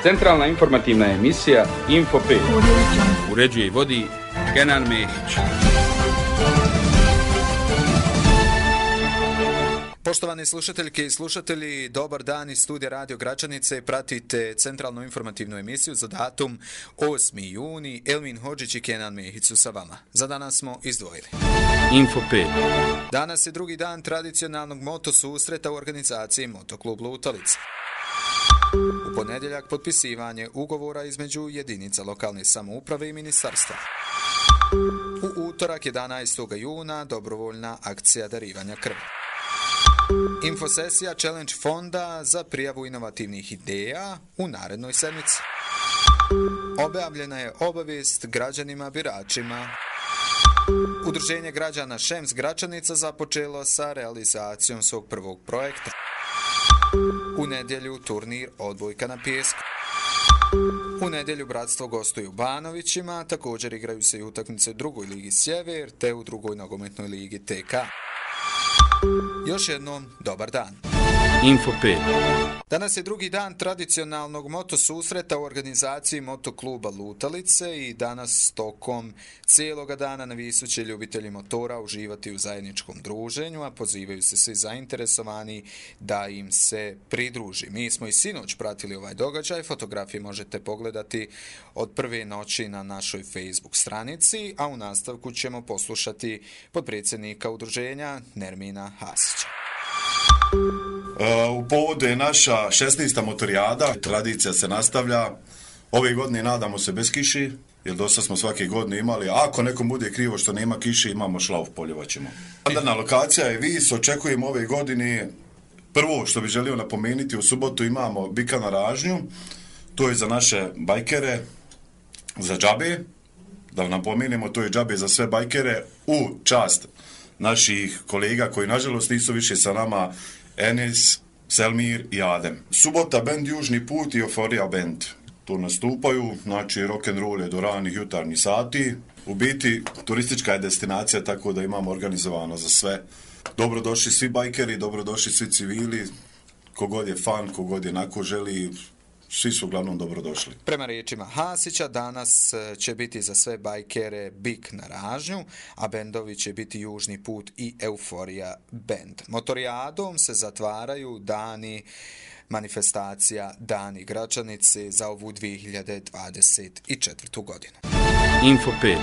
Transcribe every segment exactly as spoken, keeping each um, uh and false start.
Centralna informativna emisija Info pet. Uređuje i vodi Kenan Mehić. Poštovani slušateljke i slušatelji, dobar dan iz studija Radio Gračanice. Pratite centralnu informativnu emisiju za datum osmi juni. Elmin Hodžić i Kenan Mehić su sa vama. Za danas smo izdvojili Info pet. Danas je drugi dan tradicionalnog moto susreta u organizaciji Motoklub Lutalica. U ponedjeljak potpisivanje ugovora između jedinica lokalne samouprave i ministarstva. U utorak jedanaestog juna dobrovoljna akcija darivanja krvi. Infosesija Challenge fonda za prijavu inovativnih ideja u narednoj sedmici. Objavljena je obavijest građanima biračima. Udruženje građana Šems Gračanica započelo sa realizacijom svog prvog projekta. U nedjelju turnir odbojka na pijesku. U nedjelju bratstvo gostuje u Banovićima, također igraju se i utakmice u drugoj ligi Sjever te u drugoj nogometnoj ligi T K. Još jednom, dobar dan. Info pet. Danas je drugi dan tradicionalnog moto susreta u organizaciji Motokluba Lutalice i danas tokom cijeloga dana navisu će ljubitelji motora uživati u zajedničkom druženju, a pozivaju se svi zainteresovani da im se pridruži. Mi smo i sinoć pratili ovaj događaj, fotografije možete pogledati od prve noći na našoj Facebook stranici, a u nastavku ćemo poslušati potpredsjednika udruženja Nermina Hasića. U povodu je naša šesnaesta motorijada, tradicija se nastavlja. Ove godine nadamo se bez kiši, jer dosta smo svake godine imali. Ako nekom bude krivo što nema kiše, imamo šlauf, poljevaćemo. Standardna lokacija je Vis, očekujemo ove godine. Prvo što bih želio napomenuti, u subotu imamo bika na ražnju, to je za naše bajkere, za džabe. Da napomenemo, to je džabe za sve bajkere u čast naših kolega koji nažalost nisu više sa nama, Enes, Selmir i Adem. Subota bend Južni put i Euforija bend tu nastupaju, znači rock'n'roll je do ranih jutarnjih sati. U biti turistička je destinacija, tako da imamo organizovano za sve. Dobrodošli svi bajkeri, dobrodošli svi civili, kogod je fan, kogod je nako želi, svi su uglavnom dobrodošli. Prema riječima Hasića, danas će biti za sve bajkere Bik na ražnju, a bendovi će biti Južni put i Euforija bend. Motorijadom se zatvaraju dani manifestacija Dani Gračanice za ovu dvije hiljade dvadeset četvrtu godinu. Info pet.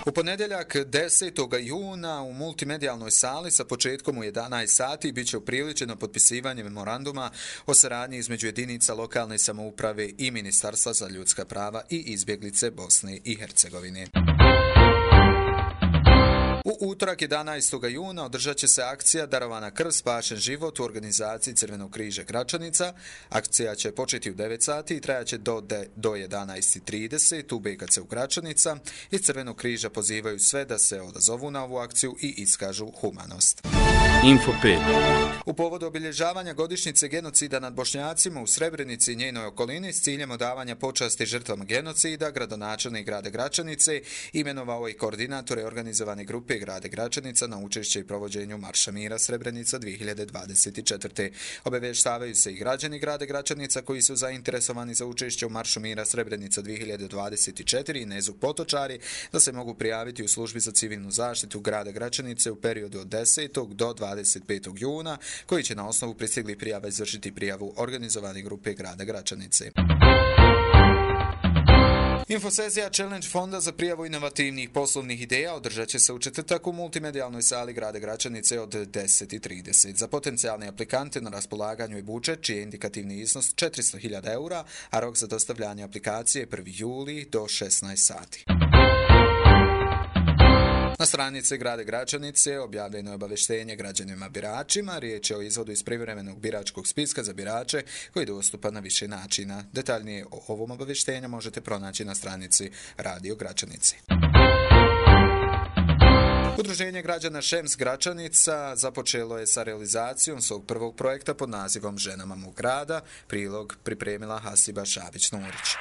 U ponedjeljak desetog juna u multimedijalnoj sali sa početkom u jedanaest sati bit će upriličeno potpisivanje memoranduma o saradnji između jedinica lokalne samouprave i Ministarstva za ljudska prava i izbjeglice Bosne i Hercegovine. U utorak jedanaestog juna održat će se akcija Darovana krv, spašen život u organizaciji Crvenog križa Gračanica. Akcija će početi u devet sati i trajaće do, de, do jedanaest trideset u B K C u Gračanica. Iz Crvenog križa pozivaju sve da se odazovu na ovu akciju i iskažu humanost. Info pet. U povodu obilježavanja godišnjice genocida nad Bošnjacima u Srebrenici i njenoj okolini s ciljem odavanja počasti žrtvama genocida, gradonačelnik grada Gračanice imenovao i koordinatore organizovane grupe grada Gračanica na učešće i provođenju Marša mira Srebrenica dvije hiljade dvadeset četvrte. Obavještavaju se i građani grada Gračanica koji su zainteresovani za učešće u Maršu mira Srebrenica dvije hiljade dvadeset četiri i Nezuk Potočari da se mogu prijaviti u službi za civilnu zaštitu grada Gračanice u periodu od desetog do dvadeset petog juna, koji će na osnovu pristiglih prijava izvršiti prijavu organizovane grupe grada Gračanice. Infosesija Challenge fonda za prijavu inovativnih poslovnih ideja održat će se u četvrtak u multimedijalnoj sali grada Gračanice od deset trideset. Za potencijalne aplikante na raspolaganju je budžet čiji je indikativni iznos četiristo hiljada eura, a rok za dostavljanje aplikacije je prvi juli do šesnaest sati. Na stranici grada Gračanice objavljeno je obavještenje građanima biračima. Riječ je o izvodu iz privremenog biračkog spiska za birače koji je dostupan na više načina. Detaljnije o ovom obavještenju možete pronaći na stranici Radio Gračanice. Udruženje građana Šems Gračanica započelo je sa realizacijom svog prvog projekta pod nazivom Ženama mog grada. Prilog pripremila Hasiba Šabić-Nurić.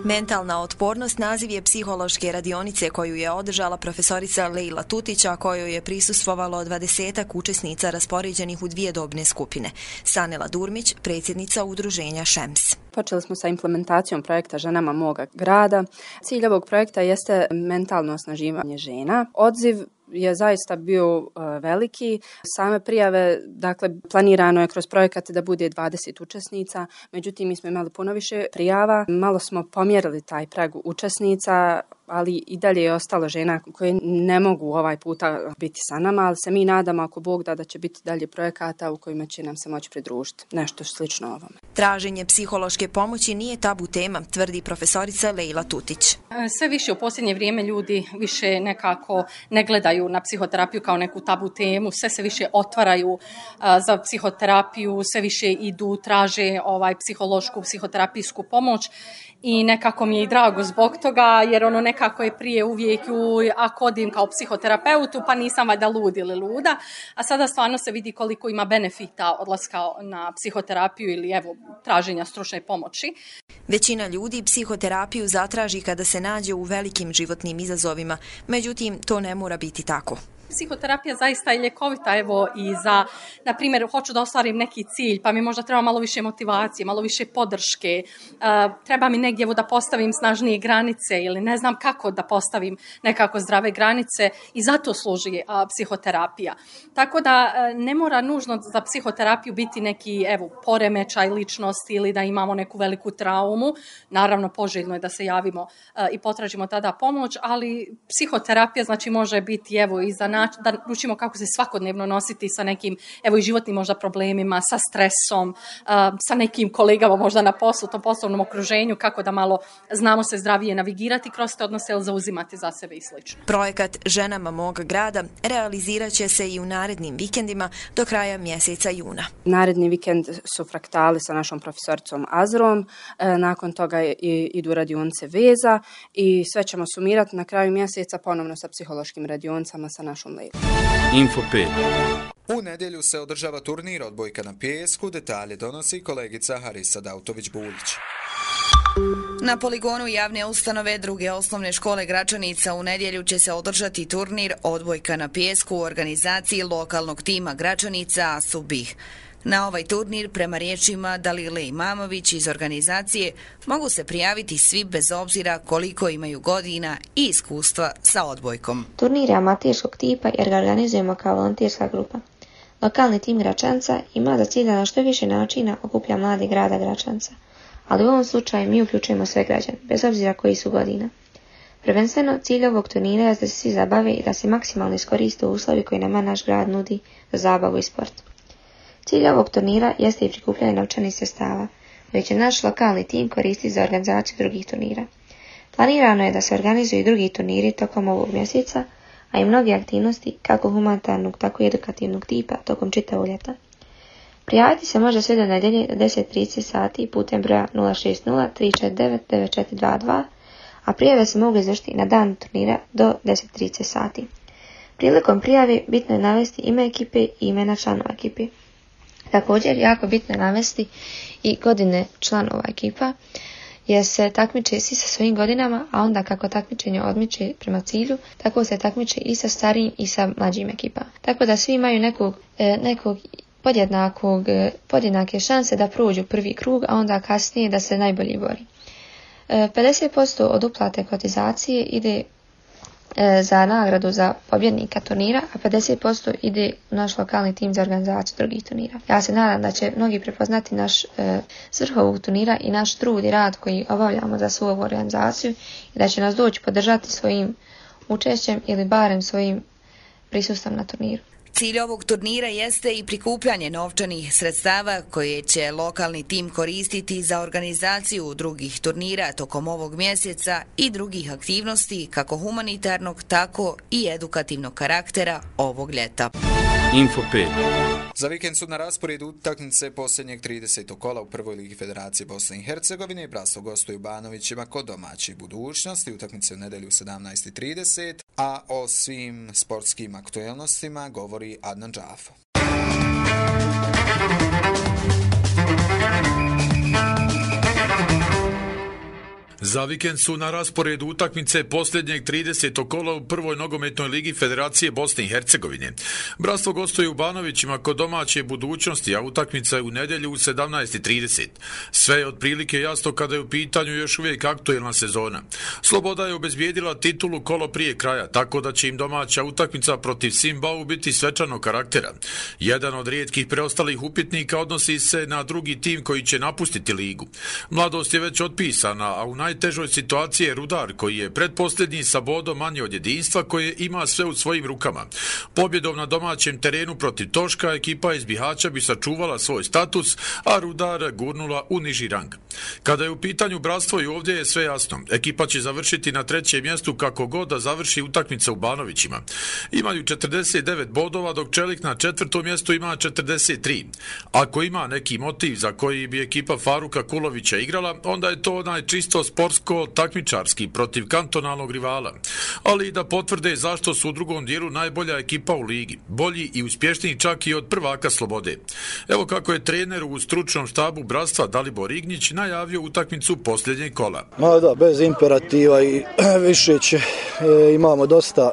Mentalna otpornost naziv je psihološke radionice koju je održala profesorica Lejla Tutića, kojoj je prisustvovalo dvadesetak učesnica raspoređenih u dvije dobne skupine. Sanela Durmić, predsjednica udruženja Šems. Počeli smo sa implementacijom projekta Ženama moga grada. Cilj ovog projekta jeste mentalno osnaživanje žena. Odziv je zaista bio uh, veliki. Same prijave, dakle, planirano je kroz projekat da bude dvadeset učesnica, međutim mi smo imali puno više prijava. Malo smo pomjerili taj prag učesnica, ali i dalje je ostalo žena koje ne mogu ovaj puta biti sa nama, ali se mi nadamo, ako Bog da, da će biti dalje projekata u kojima će nam se moći pridružiti. Nešto slično ovome. Traženje psihološke pomoći nije tabu tema, tvrdi profesorica Leila Tutić. Sve više u posljednje vrijeme ljudi više nekako ne gledaju na psihoterapiju kao neku tabu temu, sve se više otvaraju a, za psihoterapiju, sve više idu, traže ovaj psihološku, psihoterapijsku pomoć i nekako mi je i drago zbog toga, jer ono nekako je prije uvijek u, ako odim kao psihoterapeutu, pa nisam valjda lud ili luda, a sada stvarno se vidi koliko ima benefita odlaska na psihoterapiju ili evo traženja stručne pomoći. Većina ljudi psihoterapiju zatraži kada se nađe u velikim životnim izazovima, međutim to ne mora biti tako. Psihoterapija zaista je ljekovita, evo i za, na primjer, hoću da ostvarim neki cilj, pa mi možda treba malo više motivacije, malo više podrške, uh, treba mi negdje evo da postavim snažnije granice ili ne znam kako da postavim nekako zdrave granice i zato služi uh, psihoterapija. Tako da uh, ne mora nužno za psihoterapiju biti neki evo poremećaj ličnosti ili da imamo neku veliku traumu. Naravno, poželjno je da se javimo uh, i potražimo tada pomoć, ali psihoterapija znači može biti evo i za način da učimo kako se svakodnevno nositi sa nekim, evo i životnim možda problemima, sa stresom, uh, sa nekim kolegama možda na poslu, tom poslovnom okruženju, kako da malo znamo se zdravije navigirati kroz te odnose ili zauzimati za sebe i slično. Projekat Ženama moga grada realizirat će se i u narednim vikendima do kraja mjeseca juna. Naredni vikend su fraktali sa našom profesoricom Azrom, e, nakon toga i, idu radionice veza i sve ćemo sumirati na kraju mjeseca ponovno sa psihološkim radionicama sa našom Leilom. Info pet. U nedjelju se održava turnir odbojka na pijesku, detalje donosi kolegica Harisa Dautović-Bulić. Na poligonu javne ustanove druge osnovne škole Gračanica u nedjelju će se održati turnir odbojka na pijesku u organizaciji lokalnog tima Gračanica Asubih. Na ovaj turnir, prema riječima Dalile Imamović iz organizacije, mogu se prijaviti svi bez obzira koliko imaju godina i iskustva sa odbojkom. Turnir je amaterskog tipa jer ga organizujemo kao volonterska grupa. Lokalni tim Gračanca ima za cilj da na što više načina okuplja mlade grada Gračanca, ali u ovom slučaju mi uključujemo sve građane, bez obzira koji su godina. Prvenstveno, cilj ovog turnira je da se svi zabave i da se maksimalno iskoriste uslovi koji nama naš grad nudi za zabavu i sport. Cilj ovog turnira jeste i prikupljanje novčanih sredstava, koje će naš lokalni tim koristiti za organizaciju drugih turnira. Planirano je da se organizuju i drugi turniri tokom ovog mjeseca, a i mnoge aktivnosti kako humanitarnog, tako i edukativnog tipa tokom čitavog ljeta. Prijaviti se može sve do nedjelje do deset i trideset sati putem broja nula šest nula tri četiri devet devet četiri dva dva, a prijave se mogu izvršiti na dan turnira do deset i trideset sati. Prilikom prijave bitno je navesti ime ekipe i imena članova ekipe. Također, jako bitno je navesti i godine članova ekipa, jer se takmiče svi sa svojim godinama, a onda kako takmičenje odmiče prema cilju, tako se takmiče i sa starijim i sa mlađim ekipama. Tako da svi imaju nekog, nekog podjednakog, podjednake šanse da prođu prvi krug, a onda kasnije da se najbolji bori. pedeset posto od uplate kotizacije ide za nagradu za pobjednika turnira, a pedeset posto ide u naš lokalni tim za organizaciju drugih turnira. Ja se nadam da će mnogi prepoznati naš e, svrh ovog turnira i naš trud i rad koji obavljamo za svu ovu organizaciju i da će nas doći podržati svojim učešćem ili barem svojim prisustvom na turniru. Cilj ovog turnira jeste i prikupljanje novčanih sredstava koje će lokalni tim koristiti za organizaciju drugih turnira tokom ovog mjeseca i drugih aktivnosti kako humanitarnog, tako i edukativnog karaktera ovog ljeta. Info pet. Za vikend su na rasporedu utakmice posljednjeg tridesetog kola u prvoj ligi Federacije Bosne i Hercegovine. Brasto gostuju Banovićima kod domaćih Budućnosti. Utakmice u nedjelju u sedamnaest i trideset, a o svim sportskim aktuelnostima govori Adnan Džafo. Za vikend su na rasporedu utakmice posljednjeg tridesetog kola u prvoj nogometnoj ligi Federacije Bosne i Hercegovine. Bratstvo gostuje u Banovićima kod domaće Budućnosti, a utakmica je u nedjelju u sedamnaest i trideset. Sve je otprilike jasno kada je u pitanju još uvijek aktuelna sezona. Sloboda je obezbijedila titulu kolo prije kraja, tako da će im domaća utakmica protiv Simbau biti svečanog karaktera. Jedan od rijetkih preostalih upitnika odnosi se na drugi tim koji će napustiti ligu. Mladost je već otpisana, a u najtežoj situaciji je Rudar, koji je pretposljednji sa bodom manje od jedinstva, koje ima sve u svojim rukama. Pobjedom na domaćem terenu protiv Toška ekipa iz Bihaća bi sačuvala svoj status, a Rudar gurnula u niži rang. Kada je u pitanju bratstvo, i ovdje je sve jasno. Ekipa će završiti na trećem mjestu kako god da završi utakmica u Banovićima. Imaju četrdeset devet bodova, dok Čelik na četvrtom mjestu ima četrdeset tri. Ako ima neki motiv za koji bi ekipa Faruka Kulovića igrala, onda je to onaj čisto sportsko-takmičarski protiv kantonalnog rivala. Ali i da potvrde zašto su u drugom dijelu najbolja ekipa u ligi. Bolji i uspješniji čak i od prvaka Slobode. Evo kako je trener u stručnom štabu bratstva Dalibor Ignić najavio utakmicu posljednjeg kola. Ma da, bez imperativa i više će, e, imamo dosta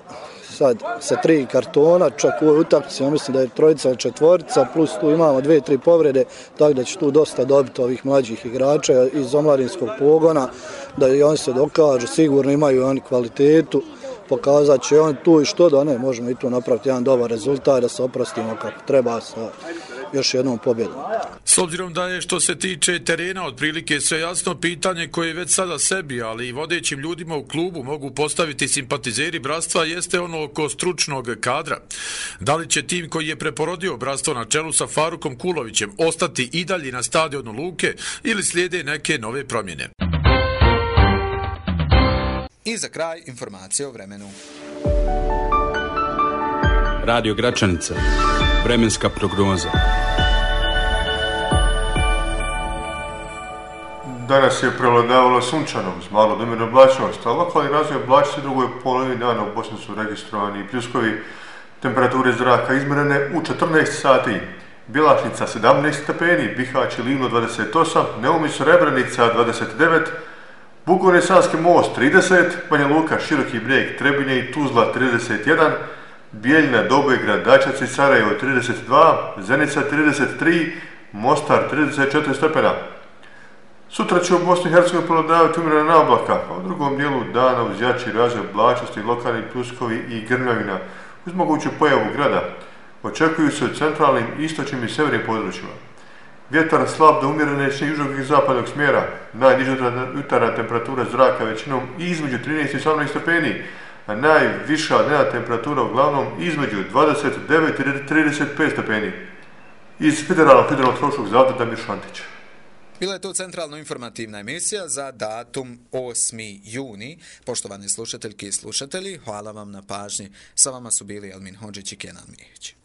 sad sa tri kartona, čak u ovoj utakmici, ja mislim da je trojica ili četvorica, plus tu imamo dvije, tri povrede, tako da će tu dosta dobiti ovih mlađih igrača iz omladinskog pogona, da i oni se dokažu, sigurno imaju oni kvalitetu, pokazat će oni tu i što da ne, možemo i tu napraviti jedan dobar rezultat, da se oprostimo kako treba sa još jednom pobjedom. S obzirom da je što se tiče terena otprilike sve jasno, pitanje koje već sada sebi, ali i vodećim ljudima u klubu mogu postaviti simpatizeri bratstva jeste ono oko stručnog kadra. Da li će tim koji je preporodio bratstvo na čelu sa Farukom Kulovićem ostati i dalje na stadionu Luke ili slijede neke nove promjene? I za kraj informacije o vremenu. Radio Gračanica. Vremenska prognoza. Danas je prevladavalo sunčano uz malo do umjerene oblačnosti, a lokalni razvoj oblačnosti u drugoj polovini dana u Bosni su registrovani i pljuskovi. Temperature zraka izmjerene u četrnaest sati. Bjelašnica sedamnaest stepeni, Bihać i Livno dvadeset osam, Neumis Srebrenica dvadeset devet, Bukovine Sanski most trideset, Banja Luka, Široki Brijeg, Trebinje i Tuzla trideset jedan, Bijeljina, Dobojgrad, Dačac i Sarajevo trideset dva, Zenica trideset tri, Mostar trideset četiri stepena. Sutra će u Bosni i Hercegovini prevladavati umjerena oblaka, a u drugom dijelu dana uz jači razvoj oblačnosti, lokalni pljuskovi i grmljavina uz moguću pojavu grada. Očekuju se u centralnim, istočnim i severnim područjima. Vjetar slab do umjerene južnog i zapadnog smjera, najniža jutarnja temperatura zraka većinom između trinaest i osamnaest stepeni, a najviša dnevna temperatura uglavnom između dvadeset devet i trideset pet stepeni. Iz Federalnog hidrometeorološkog zavoda Damir Šantić. Bila je to centralno informativna emisija za datum osmi juni. Poštovani slušateljki i slušatelji, hvala vam na pažnji. Sa vama su bili Elmin Hodžić i Kenan Mihić.